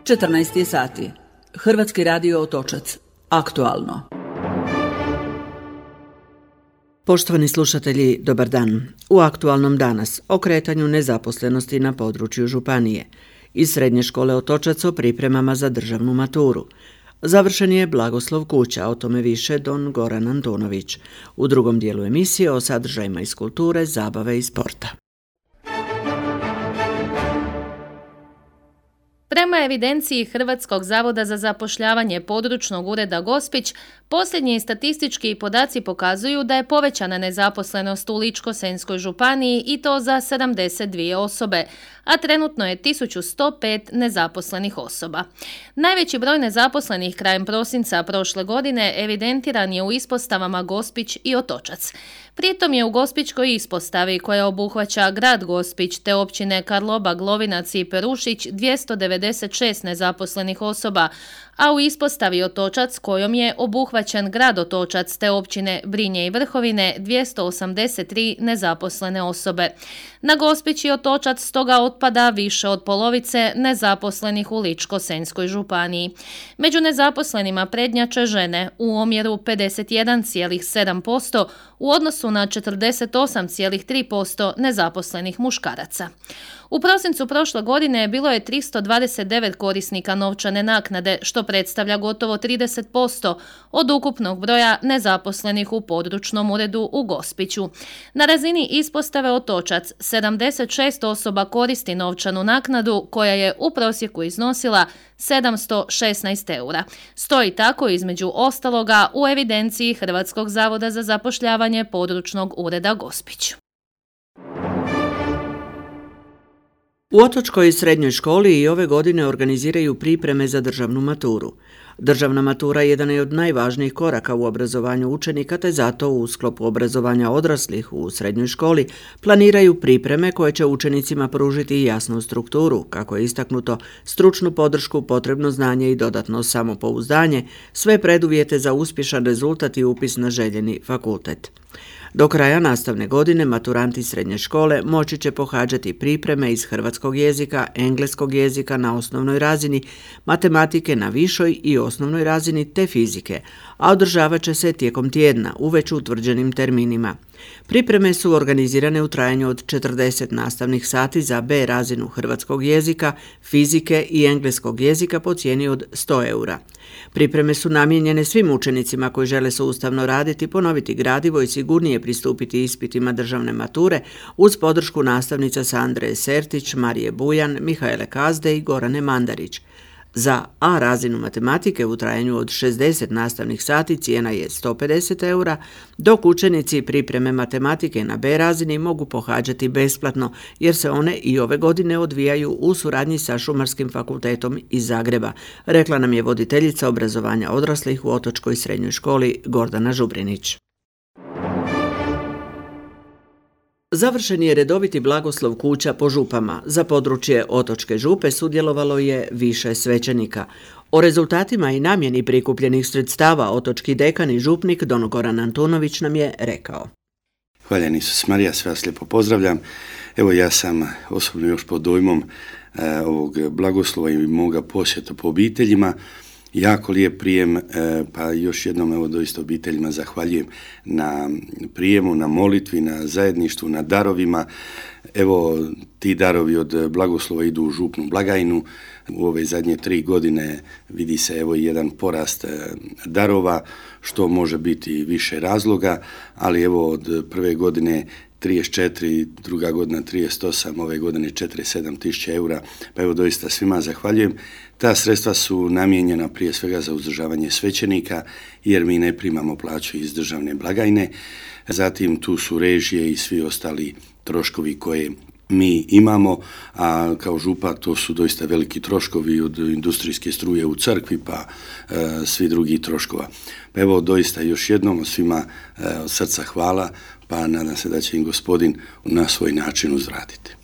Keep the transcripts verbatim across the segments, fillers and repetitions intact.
četrnaest je sati. Hrvatski radio Otočac. Aktualno. Poštovani slušatelji, dobar dan. U aktualnom danas o kretanju nezaposlenosti na području županije. Iz Srednje škole Otočac o pripremama za državnu maturu. Završen je blagoslov kuća, o tome više don Goran Antonović. U drugom dijelu emisije o sadržajima iz kulture, zabave i sporta. Prema evidenciji Hrvatskog zavoda za zapošljavanje područnog ureda Gospić, posljednji statistički podaci pokazuju da je povećana nezaposlenost u Ličko-senjskoj županiji i to za sedamdeset dvije osobe, a trenutno je tisuću sto pet nezaposlenih osoba. Najveći broj nezaposlenih krajem prosinca prošle godine evidentiran je u ispostavama Gospić i Otočac. Pritom je u Gospićkoj ispostavi, koja obuhvaća grad Gospić te općine Karlobag, Lovinac i Perušić, dvjesto devedeset šest nezaposlenih osoba, a u ispostavi Otočac, kojom je obuhvaćen grad Otočac te općine Brinje i Vrhovine, dvjesto osamdeset tri nezaposlene osobe. Na Gospić i Otočac stoga otpada više od polovice nezaposlenih u Ličko-senjskoj županiji. Među nezaposlenima prednjače žene u omjeru pedeset jedan zarez sedam posto u odnosu na četrdeset osam zarez tri posto nezaposlenih muškaraca. U prosincu prošle godine bilo je tristo dvadeset devet korisnika novčane naknade, što predstavlja gotovo trideset posto od ukupnog broja nezaposlenih u područnom uredu u Gospiću. Na razini ispostave Otočac sedamdeset šest osoba koristi novčanu naknadu, koja je u prosjeku iznosila sedamsto šesnaest eura. Stoji tako između ostaloga u evidenciji Hrvatskog zavoda za zapošljavanje područnog ureda Gospić. U Otočkoj srednjoj školi i ove godine organiziraju pripreme za državnu maturu. Državna matura jedan je od najvažnijih koraka u obrazovanju učenika, te zato u sklopu obrazovanja odraslih u srednjoj školi planiraju pripreme koje će učenicima pružiti jasnu strukturu, kako je istaknuto, stručnu podršku, potrebno znanje i dodatno samopouzdanje, sve preduvjete za uspješan rezultat i upis na željeni fakultet. Do kraja nastavne godine maturanti srednje škole moći će pohađati pripreme iz hrvatskog jezika, engleskog jezika na osnovnoj razini, matematike na višoj i osnovnoj razini te fizike, a održavat će se tijekom tjedna u već utvrđenim terminima. Pripreme su organizirane u trajanju od četrdeset nastavnih sati za B razinu hrvatskog jezika, fizike i engleskog jezika po cijeni od sto eura. Pripreme su namijenjene svim učenicima koji žele sustavno raditi, ponoviti gradivo i sigurnije pristupiti ispitima državne mature uz podršku nastavnica Sandre Sertić, Marije Bujan, Mihaele Kazde i Gorane Mandarić. Za A razinu matematike u trajanju od šezdeset nastavnih sati cijena je sto pedeset eura, dok učenici pripreme matematike na B razini mogu pohađati besplatno, jer se one i ove godine odvijaju u suradnji sa Šumarskim fakultetom iz Zagreba, rekla nam je voditeljica obrazovanja odraslih u Otočkoj srednjoj školi Gordana Žubrinić. Završen je redoviti blagoslov kuća po župama. Za područje Otočke župe sudjelovalo je više svećenika. O rezultatima i namjeni prikupljenih sredstava otočki dekan i župnik don Goran Antonović nam je rekao. Hvaljen Isus Marija, sve vas lijepo pozdravljam. Evo, ja sam osobno još pod dojmom e, ovog blagoslova i moga posjeta po obiteljima. Jako lijep prijem, pa još jednom evo doista obiteljima zahvaljujem na prijemu, na molitvi, na zajedništvu, na darovima. Evo, ti darovi od blagoslova idu u župnu blagajnu. U ove zadnje tri godine vidi se evo jedan porast darova, što može biti više razloga, ali evo od prve godine trideset četiri, druga godina trideset osam, ove godine četrdeset sedam tisuća eura, pa evo doista svima zahvaljujem. Ta sredstva su namijenjena prije svega za uzdržavanje svećenika, jer mi ne primamo plaću iz državne blagajne, zatim tu su režije i svi ostali troškovi koje mi imamo, a kao župa to su doista veliki troškovi od industrijske struje u crkvi pa e, svi drugi troškova. Pa evo doista još jednom svima e, od srca hvala, pa nadam se da će im Gospodin na svoj način uzvratiti.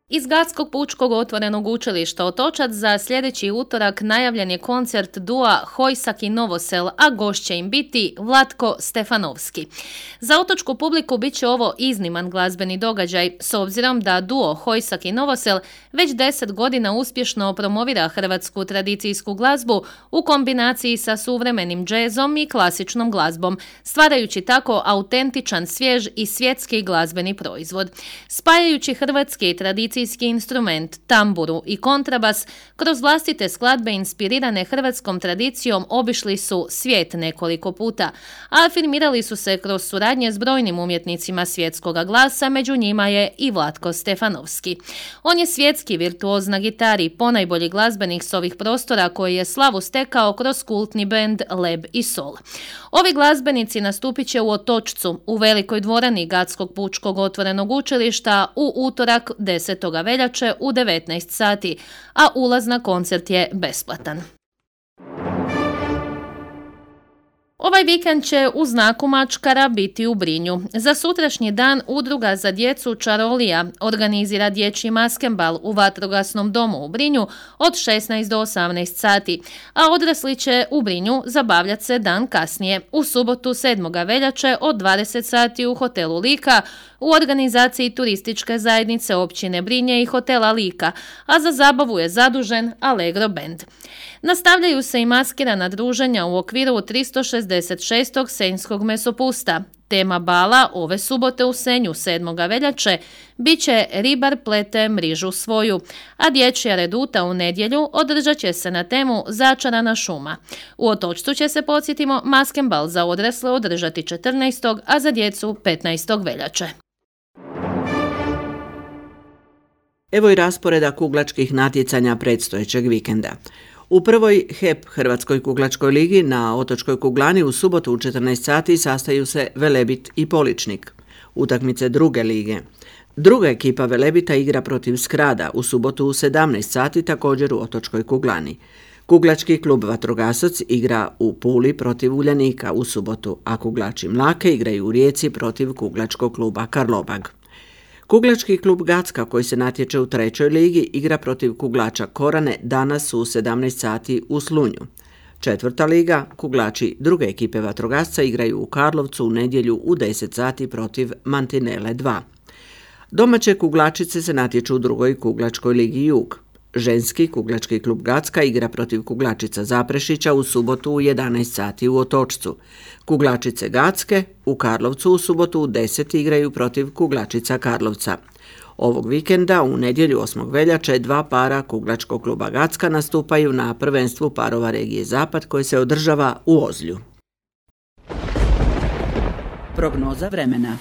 Iz Gradskog pučkog otvorenog učilišta Otočac za sljedeći utorak najavljen je koncert dua Hojsak i Novosel, a gošće će im biti Vlatko Stefanovski. Za otočku publiku bit će ovo izniman glazbeni događaj, s obzirom da duo Hojsak i Novosel već deset godina uspješno promovira hrvatsku tradicijsku glazbu u kombinaciji sa suvremenim džezom i klasičnom glazbom, stvarajući tako autentičan, svjež i svjetski glazbeni proizvod. Spajajući hrvatski i tradicijski instrument, tamburu i kontrabas, kroz vlastite skladbe inspirirane hrvatskom tradicijom obišli su svijet nekoliko puta, a afirmirali su se kroz suradnje s brojnim umjetnicima svjetskoga glasa, među njima je i Vlatko Stefanovski. On je svjetski virtuoz na gitari, ponajbolji glazbenik s ovih prostora koji je slavu stekao kroz kultni bend Leb i Sol. Ovi glazbenici nastupit će u Otočcu, u velikoj dvorani Gradskog pučkog otvorenog učilišta u utorak desetog veljače u devetnaest sati, a ulaz na koncert je besplatan. Ovaj vikend će u znaku mačkara biti u Brinju. Za sutrašnji dan Udruga za djecu Čarolija organizira dječji maskembal u vatrogasnom domu u Brinju od šesnaest do osamnaest sati, a odrasli će u Brinju zabavljati se dan kasnije, u subotu sedmog veljače od dvadeset sati u hotelu Lika u organizaciji turističke zajednice općine Brinje i hotela Lika, a za zabavu je zadužen Allegro Band. Nastavljaju se i maskirana druženja u okviru tristo šezdeset šestog senjskog mesopusta. Tema bala ove subote u Senju sedmog veljače bit će Ribar plete mrižu svoju, a dječja reduta u nedjelju održat će se na temu Začarana šuma. U Otočcu će se, podsjetimo, maskembal za odrasle održati četrnaestog a za djecu petnaestog veljače. Evo i rasporeda kuglačkih natjecanja predstojećeg vikenda. U prvoj H E P Hrvatskoj kuglačkoj ligi na Otočkoj kuglani u subotu u četrnaest sati sastaju se Velebit i Poličnik. Utakmice druge lige. Druga ekipa Velebita igra protiv Skrada u subotu u sedamnaest sati također u Otočkoj kuglani. Kuglački klub Vatrogasac igra u Puli protiv Uljanika u subotu, a kuglači Mlake igraju u Rijeci protiv kuglačkog kluba Karlobag. Kuglački klub Gacka koji se natječe u trećoj ligi igra protiv kuglača Korane danas u sedamnaest sati u Slunju. Četvrta liga, kuglači druge ekipe Vatrogasca igraju u Karlovcu u nedjelju u deset sati protiv Mantinele dva. Domaće kuglačice se natječu u drugoj kuglačkoj ligi Jug. Ženski kuglački klub Gacka igra protiv kuglačica Zaprešića u subotu u jedanaest sati u Otočcu. Kuglačice Gacke u Karlovcu u subotu u deset igraju protiv kuglačica Karlovca. Ovog vikenda u nedjelju osmog veljače dva para kuglačkog kluba Gacka nastupaju na prvenstvu parova regije Zapad koje se održava u Ozlju. Prognoza vremena.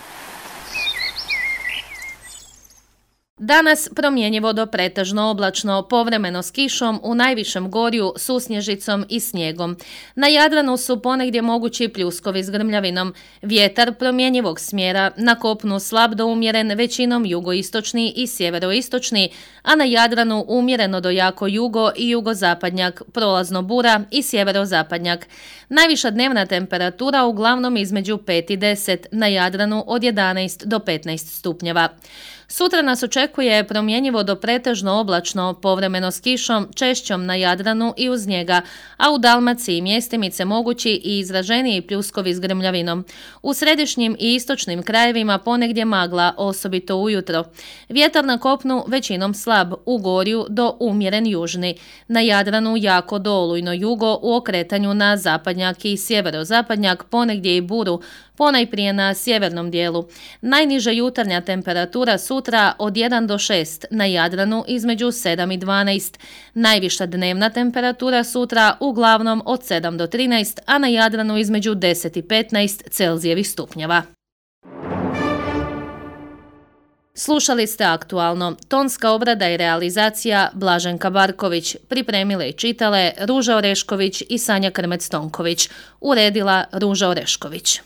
Danas promjenjivo do pretežno oblačno, povremeno s kišom, u najvišem gorju susnježicom i snijegom. Na Jadranu su ponegdje mogući pljuskovi s grmljavinom. Vjetar promjenjivog smjera, na kopnu slab do umjeren, većinom jugoistočni i sjeveroistočni, a na Jadranu umjereno do jako jugo i jugozapadnjak, prolazno bura i sjeverozapadnjak. Najviša dnevna temperatura uglavnom između pet i deset, na Jadranu od jedanaest do petnaest stupnjeva. Sutra nas očekuje promjenjivo do pretežno oblačno, povremeno s kišom, češćom na Jadranu i uz njega, a u Dalmaciji mjestimice mogući i izraženiji pljuskovi s grmljavinom. U središnjim i istočnim krajevima ponegdje magla, osobito ujutro. Vjetar na kopnu većinom slab, u gorju do umjeren južni. Na Jadranu jako do olujno jugo, u okretanju na zapadnjak i sjeverozapadnjak, ponegdje i buru, ponajprije na sjevernom dijelu. Najniža jutarnja temperatura sutra od jedan do šest, na Jadranu između sedam i dvanaest. Najviša dnevna temperatura sutra uglavnom od sedam do trinaest, a na Jadranu između deset i petnaest Celzijevih stupnjeva. Slušali ste Aktualno. Tonska obrada i realizacija Blaženka Barković. Pripremile i čitale Ruža Orešković i Sanja Krmec-Tonković. Uredila Ruža Orešković.